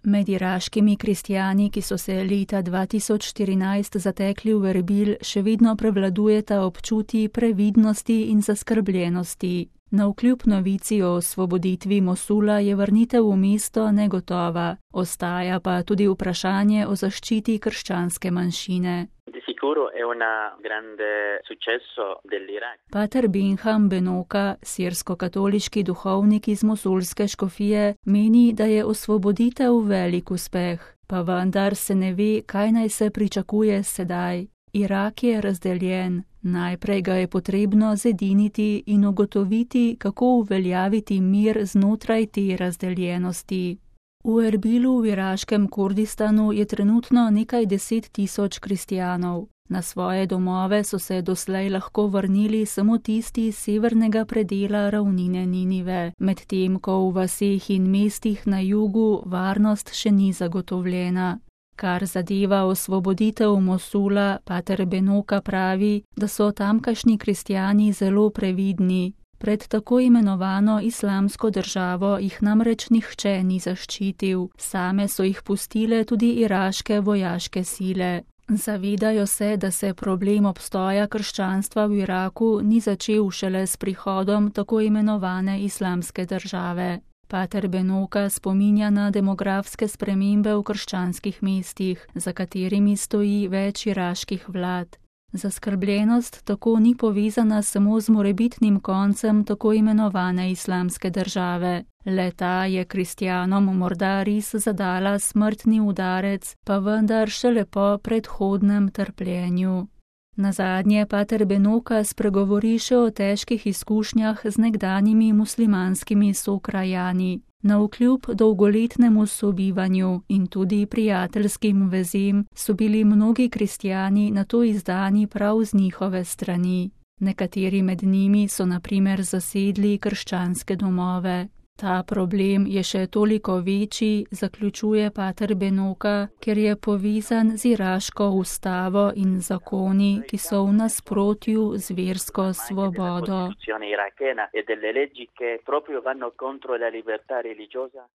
Med iraškimi kristjani, ki so se leta 2014 zatekli v Erbil, še vedno prevladujeta občutji previdnosti in zaskrbljenosti. Navkljub novici o osvoboditvi Mosula je vrnitev v mesto negotova, ostaja pa tudi vprašanje o zaščiti krščanske manjšine. Pater Benham Benoka, sirsko-katoliški duhovnik iz mosulske škofije, meni, da je osvoboditev velik uspeh, pa vendar se ne ve, kaj naj se pričakuje sedaj. Irak je razdeljen, najprej ga je potrebno zediniti in ugotoviti, kako uveljaviti mir znotraj te razdeljenosti. V Erbilu v iraškem Kurdistanu je trenutno nekaj 10.000 kristjanov. Na svoje domove so se doslej lahko vrnili samo tisti iz severnega predela ravnine Ninive, medtem ko v vaseh in mestih na jugu varnost še ni zagotovljena. Kar zadeva osvoboditev Mosula, pater Benoka pravi, da so tamkajšnji kristjani zelo previdni. Pred tako imenovano islamsko državo jih namreč nihče ni zaščitil, same so jih pustile tudi iraške vojaške sile. Zavedajo se, da se problem obstoja krščanstva v Iraku ni začel šele s prihodom tako imenovane islamske države. Pater Benoka spominja na demografske spremembe v krščanskih mestih, za katerimi stoji več iraških vlad. Zaskrbljenost tako ni povezana samo z morebitnim koncem tako imenovane islamske države. Le-ta je kristjanom morda res zadala smrtni udarec, pa vendar šele po predhodnem trpljenju. Nazadnje pater Benoka spregovori še o težkih izkušnjah z nekdanjimi muslimanskimi sokrajani. Navkljub dolgoletnemu sobivanju in tudi prijateljskim vezem so bili mnogi kristjani nato izdani prav z njihove strani. Nekateri med njimi so na primer zasedli krščanske domove. Ta problem je še toliko večji, zaključuje pater Benoka, ker je povezan z iraško ustavo in zakoni, ki so v nasprotju z versko svobodo.